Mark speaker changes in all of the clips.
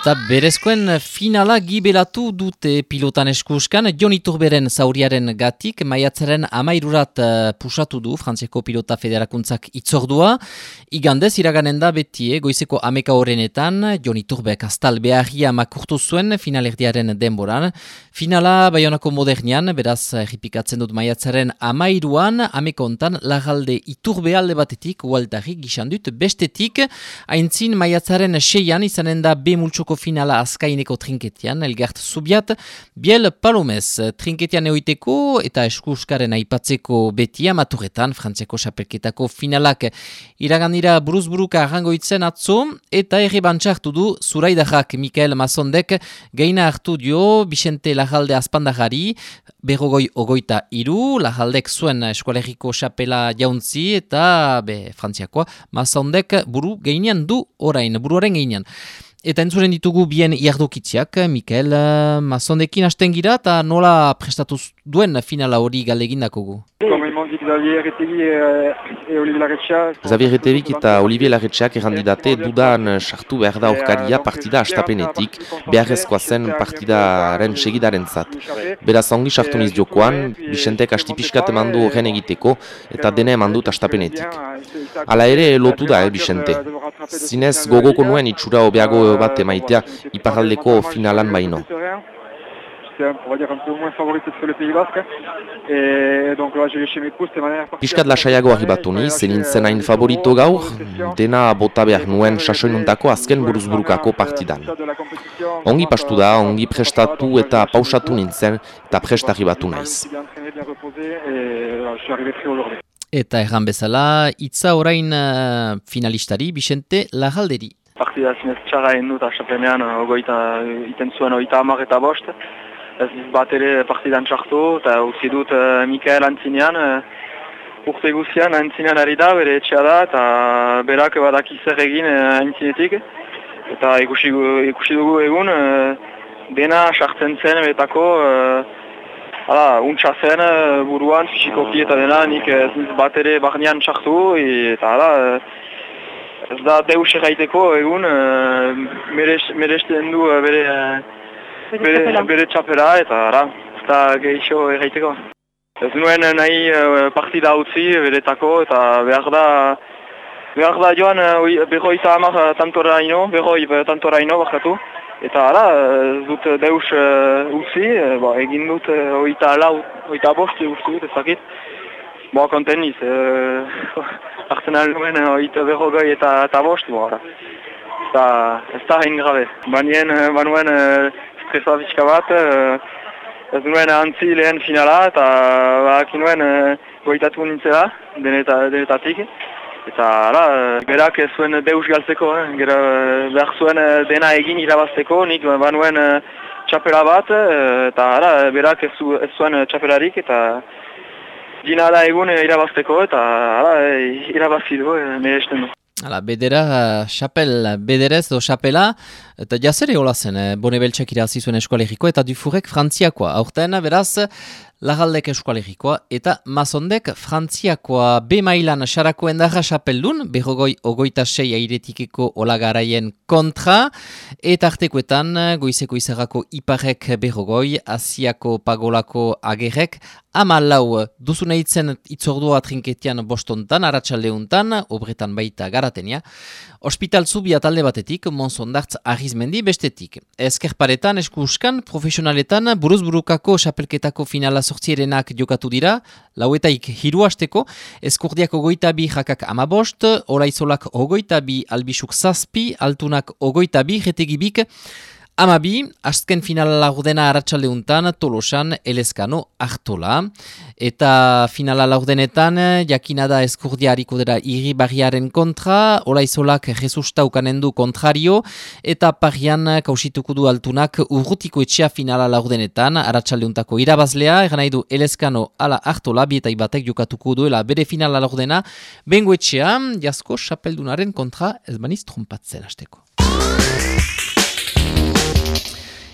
Speaker 1: Eta berezkoen finala gibelatu dute pilotan eskuskan, Jon Iturberen zauriaren gatik, maiatzaren 13 pusatu du Frantziako Pilota Federakuntzak itzordua. Igandez iraganen da beti goizeko 11 horrenetan, Jon Iturbek astal beharria makurtu zuen finalerdiaren denboran. Finala Baionako Modernian, beraz erripikatzen dut maiatzaren 13an, amekontan Larralde Iturbe alde batetik, ualtari gixandut bestetik, aintzin maiatzaren 6an izanen da B multsoko finala azkaineko trinketian, Elgart Zubiat, Biel Palomez trinketian eoiteko eta eskuskaren aipatzeko beti amaturetan, Frantziako xapelketako finalak iraganira buruzburuka arrangoitzen atzo, eta erre bantxartu du Zuraidarrak Mikael Mazondek gaina hartu dio Bixente Larralde Azpandajari, berrogoi ogoita iru, Larraldek zuen eskualeriko xapela jauntzi eta Frantziakoa Mazondek buru gainean du orain, buruaren gainean. Eta entzuren ditugu bien iardokitziak, Mikael Mazondekin hasten gira eta nola prestatu duen finala hori galegindakogu.
Speaker 2: Xavier Retevik eta Olivier Larretxeak errandidate dudan sartu behar da aurkaria partida astapenetik, beharrezkoa zen partidaren segidaren zat. Beraz ongi sartu niz jokoan, Bixentek astipiskat emandu horren egiteko eta dena emandut astapenetik. Hala ere lotu da, Bixente. Zinez gogoko nuen itxura hobeago bat emaitea iparraldeko finalan baino. Piskat lasaiago arribatu niz, zenintzen hain favorito gaur, dena bota behar nuen sasoinuntako azken buruzburukako partidan. Ongi pastu da, ongi prestatu eta pausatu nintzen eta prest arribatu naiz. Eta
Speaker 1: erran bezala, itza orain finalistari, Bixente Larralderi.
Speaker 3: Partida zinez txarra egin dut, asaplenean iten zuen 30 eta 5. Ez bat ere partidan txartu, eta utzi dut Mikael antzinean, urte guzian antzinean ari da, bere etxea da, eta berak badaki zer egin antzinetik. Eta ikusi dugu egun, dena sartzen zen betako, untsa zen buruan, fisikoki eta dena, nik ez bat ere barnean txartu, eta ez da deus erraiteko egun, meresten du bere txapela eta ez da gehixo erraiteko. Ez nuen nahi partida utzi beretako eta behar da joan berroi tantoraino bakatu. Eta ez dut deus utzi, egin dut 24 utzi dut ezakit. Konten niz, hartzen alnuen berrogoi eta 5, ez da hain grabe. Banuen stresa pixka bat, ez nuen antzi lehen finala eta bakinuen goitatu nintzela denetatik. Eta berak ez zuen deus galtzeko, behar zuen dena egin irabazteko, nik banuen txapela bat, eta berak ez zuen txapelarik eta dina da egun irabazteko eta irabazi du, meresten du.
Speaker 1: Bedera, bederez do xapela, eta jazere hola zen, Bonebeltxak irazi zuen eskualerikoa eta Dufurek Frantziakoa. Aurten, beraz, Larraldek eskualerikoa eta Mazondek Frantziakoa. B mailan xarako endarra xapeldun, berrogoi ogoita 6 airetikeko olagaraien kontra, eta artekoetan goizeko izarrako iparek berrogoi, Asiako pagolako agerrek, 14 duzuneitzen itzordua trinketian bostontan, aratsaldeuntan, obretan baita garatenia. Hospital Zubiat alde batetik, Monsondartz Arrizmendi bestetik. Ezkerparetan, eskuskan, profesionaletan, buruzburukako xapelketako finala sortzierenak jokatu dira, lauetaik 3 hasteko, Eskurdiak 22 jakak 15, Olaizolak 22, Albisuk 7, Altunak 22, Retegibik 12, azken finala laurdena aratsaldeuntan, Tolosan, Elezkano, Artola. Eta finala laurdenetan, jakinada Eskurdia hariko dira Irribarriaren kontra, Olaizolak Jesusta ukanendu kontrario, eta parian kausituko du Altunak urrutiko etxea finala laurdenetan, aratsaleuntako irabazlea, eran nahi du Elezkano ala Artola, bietai batek jokatuko duela bere finala laurdena, bengo etxea, jasko xapeldunaren kontra ez baniz trompatzen hasteko.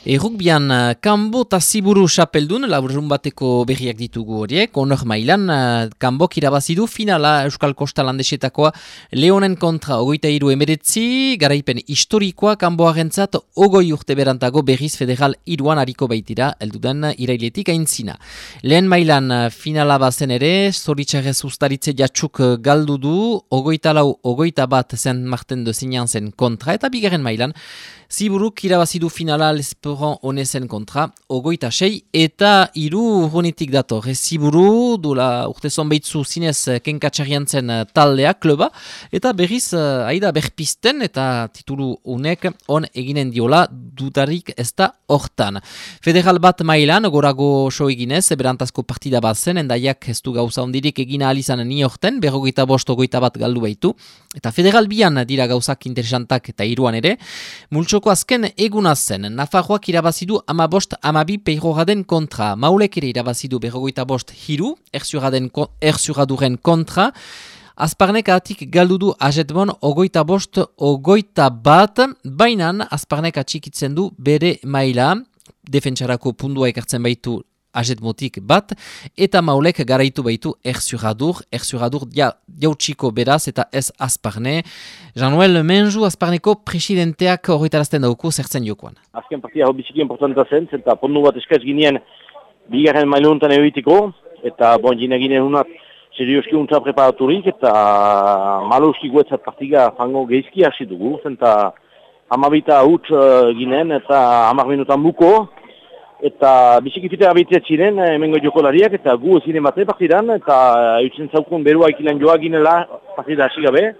Speaker 1: Rugbian, Kanbo eta Ziburu xapeldun, laburun bateko berriak ditugu horiek, honor mailan, Kanbok irabazidu finala Euskal Kosta Landesetakoa Leonen kontra 23-19, garaipen historikoa Kanboarentzat 20 urte berantago berriz federal 3an hariko baitira, elduden irailetik aintzina. Lehen mailan finala bazen ere, zoritxarrez ustaritze jatxuk galdu du, 24-21 zen marten dozinean zen kontra, eta bigarren mailan, Ziburuk irabazidu finala Lesporan honezen kontra, 26 eta 3 urrunetik dator. Ziburu, dula urte zonbeitzu zinez kenkatxarian zen taldea, kluba, eta berriz aida berpisten eta titulu unek on eginen diola dutarik ez da hortan. Federal bat mailan, gorago so eginez, berantazko partida bat zen, endaiak ez du gauza ondirik egina alizan ni horten, 25-21 galdu baitu, eta federal bian dira gauzak interesantak eta 3an ere, multsoko azken eguna zen, Nafarroak irabazidu 15-12 Peirorraden kontra, Maulek ere irabazidu 25-3 Erzuraduren kontra, Azparnek atik galdudu ajetbon 25-21, bainan Azparnek atxikitzen du bere maila, defentsarako pundua ekartzen baitu ajetmotik bat, eta Maulek garaitu baitu Erzuradur jautsiko beraz eta ez Azparne. Jean-Noël Menju, Azparneko presidenteak horretarazten dauku zertzen jokoan.
Speaker 4: Azken partia hau biziki importanta zen, eta pondu bat eskaz ginean bigarren mailuntan egiteko, eta gine ginen unat serioski untza preparaturik, eta maluski guetzat partiga fango geizki hasi dugu, eta 12 huts ginen, eta 10 minutan buko, eta biziki fitea abitzea ziren, hemengo jokolariak, eta gu ezin emate partidan, eta eutzen zaukun berua ikilan joa ginela partida hasi gabe,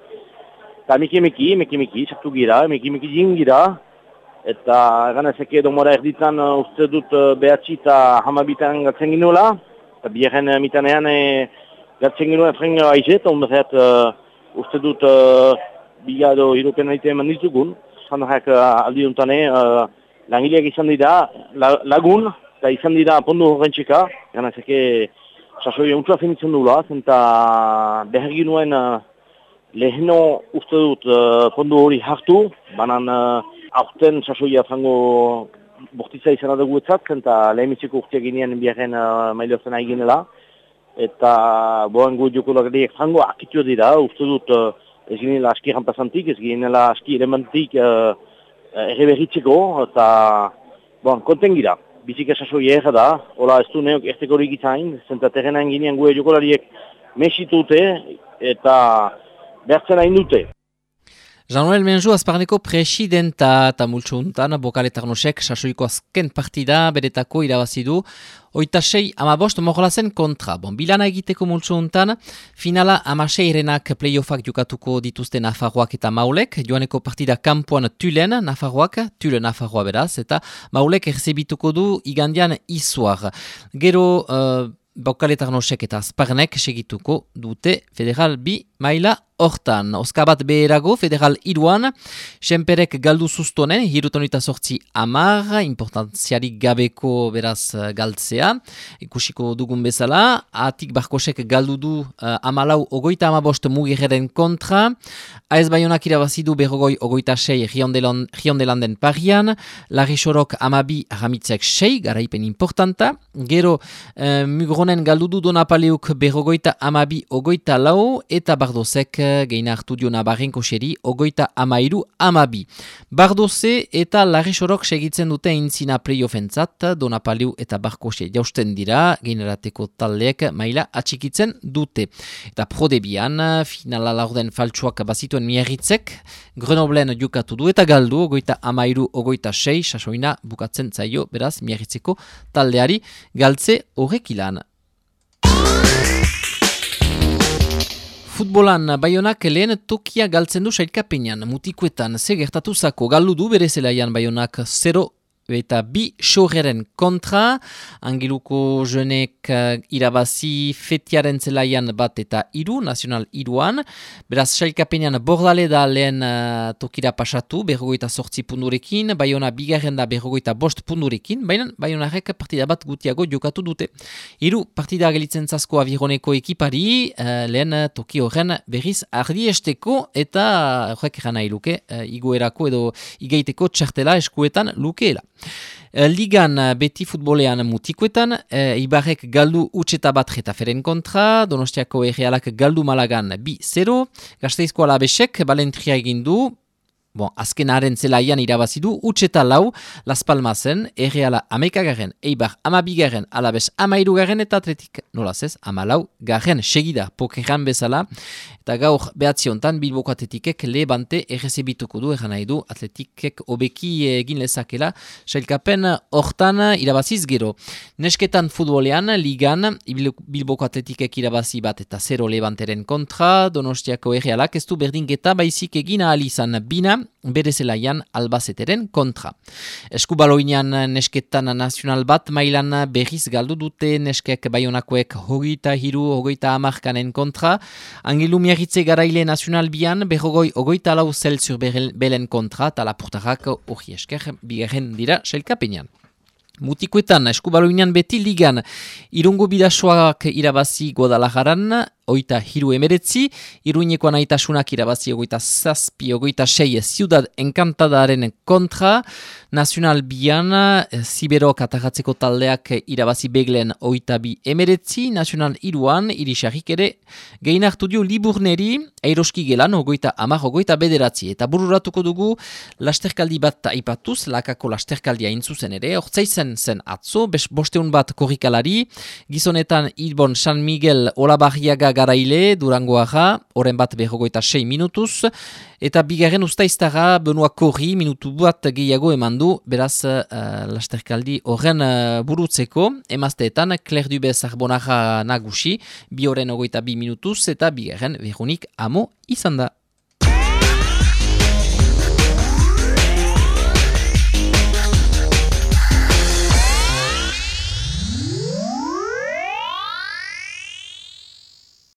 Speaker 4: eta meki, sartu gira, meki jingira, eta ganezeke domora erditan uste dut behatzi eta 12 gatzen ginoela, eta biherren mitanean gatzen ginoela frenga aizet, ondorret uste dut bigado hiropen naite eman ditugun, zandarak aldi duntane, langileak izan dira lagun, eta izan dira pondu horrentxeka, ganezeke sasoi untua finitzen dula, eta behar ginuen leheno uste dut pondu hori hartu, banan aurten sasoia frango bortitza izan adugu etzat, eta lehemitzeko urteak ginean biharren mailortzen ari ginela, eta boan gu jokolariak frango akitua dira, uste dut ez ginela aski rampazantik, ez ginela aski elementik erreberritzeko, eta konten gira. Bizik esasoi erra da, hola ez du neok ertekorik izain, zenta terrenan ginean gue jokolariek mesitute eta bertzen hain dute.
Speaker 1: Jean-Noël Menju, Azparneko presidenta eta multsu untan, Bokaletarnosek sasoiko azken partida beretako irabazidu, 26-15 morlazen kontra. Bilana egiteko multsu untan, finala 16-renak playoffak jokatuko dituzte Nafarroak eta Maulek, joaneko partida kampuan Tulen Nafarroa beraz, eta Maulek erzebituko du igandian Izuar. Gero Bokaletarnosek eta Azparnek segituko dute Federal B maila hortan. Oskabat beherago, Federal 3an, Senperek galdu zuztonen, 78 10, importantziarik gabeko beraz galtzea, ikusiko dugun bezala, Atik Barkosek galdu du 14-15 Mugirren kontra, AS Baionak irabazidu 26 Riondelanden parian, Larri Sorok 12 Aramitzek 6, garaipen importanta, gero Mugronen galdu du Donapaleuk 12-24, eta Bardozek geina hartu dio Nabarrenko xeri, 23-12. Bardoze eta Larri Sorok segitzen dute intzina playoffentzat, Donapaleu eta Barkose jausten dira, generateko taldeek maila atxikitzen dute. Eta prodebian, finala laurden faltsuak bazituen miarritzek, Grenoblen jukatu du eta galdu, 23-26, sasoina bukatzen zaio, beraz, miarritzeko taldeari galtze horrek ilan. Futbolan Baionak lehen tokia galtzen du sailkapenean, mutikuetan ze gertatu zako galdu du bere zelaian Baionak 0 eta 2 xorreren kontra, Angeluko jenek irabazi fetiaren zelaian bat eta 3, Nacional 3an, beraz sailkapenean Bordale da lehen tokira pasatu, 48 pundurekin, Baiona bigarren da 45 pundurekin, baina Baionarek partida bat gutiago jokatu dute. 3 partida gelitzen zasko avironeko ekipari, lehen toki horren berriz ardiesteko eta horrek eran nahi luke, igoerako edo igeiteko txartela eskuetan lukeela. Ligan beti futbolean mutikoetan, Ibarrek galdu utxeta bat Getaferen kontra, Donostiako Errealak galdu Malagan 2-0, Gasteizko Alabesek balentria egin du, azkenaren zelaian irabazidu, utxeta 4, Las Palmasen, Erreala 11, Eibar 12, Alabes 13 eta Atletik nolazez 14 segida pokerran bezala, eta gaur behatziontan Bilboko Atletikek Levante errezebituko du, eran nahi du Atletikek obeki egin lezakela, sailkapen hortan irabaziz gero. Nesketan futbolean, Ligan, Bilboko Atletikek irabazi bat eta 0 Levanteren kontra, Donostiako Errealak ez du berdinketa baizik egin ahal izan bina, bere zelaian Albazeteren kontra. Eskubaloinean nesketan nazional bat mailan berriz galdu dute neskek baionakoek 23-30 kontra, Angelu Miarritze garaile nazional bian berrogoi 24 Celsius belen kontra eta lapurtarrak hori esker bigarren dira selkapenean. Mutikoetan, eskubaloinean beti Ligan, Irungo Bidasoak irabazi Guadalajaran, 23-19, Iruñeko Anaitasunak irabazi 27-26 Ciudad Encantadaren kontra, Nacional Bian, Ziberok atagatzeko taldeak irabazi Beglen 22-19, Nacional Iruan, Irisarrik ere, gehin hartu dio Liburneri, Eiroski Gelan, 30-29, eta bururatuko dugu lasterkaldi bat aipatuz, lakako lasterkaldia intzuzen ere, ortsaizen zen atzo, bosteun bat korrikalari, gizonetan Ilbon San Miguel Olabarriaga garaile, Durangoaga, oren bat 26 minutuz, eta bigarren ustaiztara Benoa Korri minutu bat gehiago eman du, beraz lasterkaldi horren burutzeko, emazteetan Claire Dubez Arbonaga nagusi, 2 minutuz, eta bigarren Veronik Amo izan da.